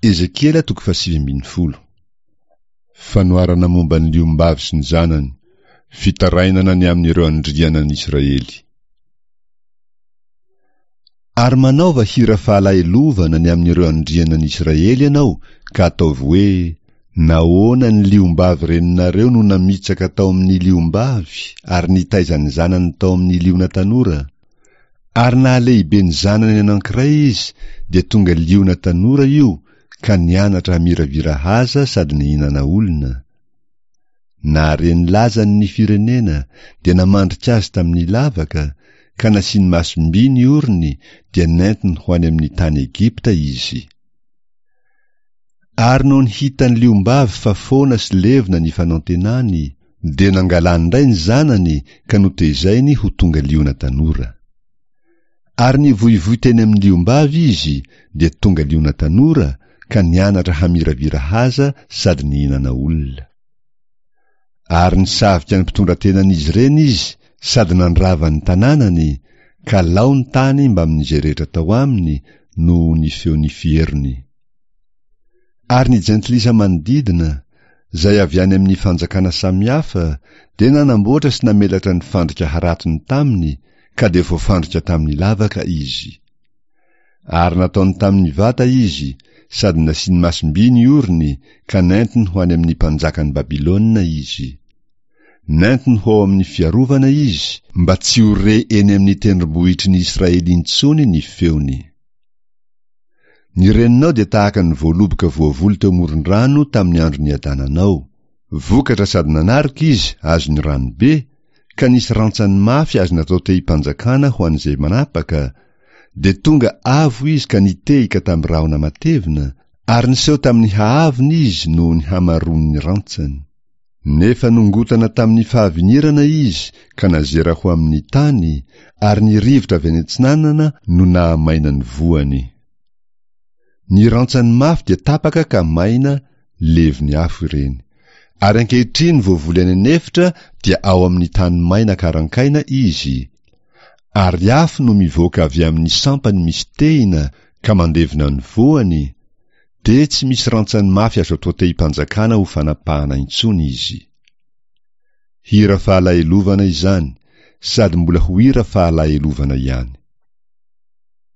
Ezekiela toko fahasivy ambin'ny folo. Fanoharana momba ny liombavy sy ny zanany, fitarainana ny amin'ireo andrianan'i Israely. Ary manaova hira fahalahelovana ny amin'ireo andrianan'i Israely ianao ka ataovy hoe, Nahoana ny liombavy reninareo no namitsaka tao amin'ny liombavy ary nitaiza ny zanany tao amin'ny liona tanora? Ary nahalehibe ny zanany anankiray izy dia tonga liona tanora io ka nianatra hamiravira haza sady nihinana olona. Nahare ny lazany ny firenena dia namandrika azy tamin'ny lavaka ka nasiany masom-by ny orony dia nentiny ho any amin'ny tany Egypta izy. Ary nony hitan'ny liombavy fa foana sy levona ny fanantenany, dia nangalany indray ny zanany ka notezainy ho tonga liona tanora. Ary nivoivoy teny amin'ny liombavy izy, dia tonga liona tanora ka nianatra hamiravira haza sady nihinana olona. Ary nisavika ny mpitondra-tenan'izy ireny izy sady nandrava ny tanànany, ka lao ny tany mbamin'izay rehetra tao aminy noho ny feon'ny fierony. Ary ny jentilisa manodidina, izay avy any amin'ny fanjakana samihafa, dia nanamboatra sy namelatra ny fandrika haratony taminy, ka dia voafandrika tamin'ny lavaka izy. Ary nataony tamin'ny vata izy, sady nasiany masom-by ny orony, ka nentiny ho any amin'ny mpanjakan'i Babylona izy. Nentiny ho ao amin'ny fiarovana izy, mba tsy ho re eny amin'ny tendrombohitry ny Israely intsony ny feony. Ny reninao dia tahaka ny voaloboka voavoly teo amoron-drano tamin'ny andro niadananao. Vokatra sady nanaroka izy azon'ny rano be, ka nisy rantsany mafy azo natao tehim-panjakana ho an'izay manapaka, dia tonga avo izy ka nitehika tamin'ny rahona matevina, ary niseho tamin'ny haavony izy noho ny hamaroan'ny rantsany. Nefa nongotana tamin'ny fahavinirana izy ka nazera ho amin'ny tany, ary ny rivotra avy any atsinanana no nahamaina ny voany. Ny rantsany mafy dia tapaka ka maina, levon'ny afo ireny. Ary ankehitriny voavoly any an'efitra dia ao amin'ny tany maina karankaina izy, ary afo no mivoaka avy amin'ny sampany misy tehina ka mandevona ny voany, Dia tsy misy rantsany mafy azo atao tehim-panjakana ho fanapahana intsony izy. Hira fahalahelovana izany, sady mbola ho hira fahalahelovana ihany.